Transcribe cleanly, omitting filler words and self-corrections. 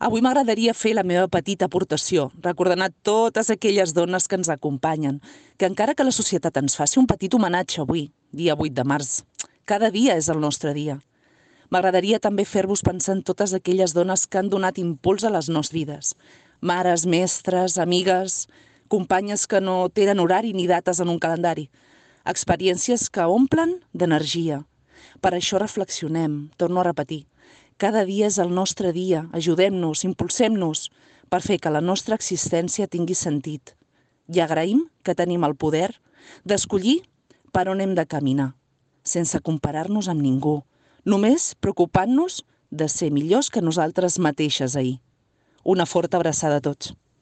Avui m'agradaria fer la meva petita aportació, recordant a totes aquelles dones que ens acompanyen, que encara que la societat ens faci un petit homenatge avui, dia 8 de març, cada dia és el nostre dia. M'agradaria també fer-vos pensar en totes aquelles dones que han donat impuls a les nostres vides. Mares, mestres, amigues, companyes que no tenen horari ni dates en un calendari. Experiències que omplen d'energia. Per això reflexionem, torno a repetir. Cada dia és el nostre dia, ajudem-nos, impulsem-nos per fer que la nostra existència tingui sentit. I agraïm que tenim el poder d'escollir per on hem de caminar, sense comparar-nos amb ningú, només preocupant-nos de ser millors que nosaltres mateixes ahir. Una forta abraçada a tots.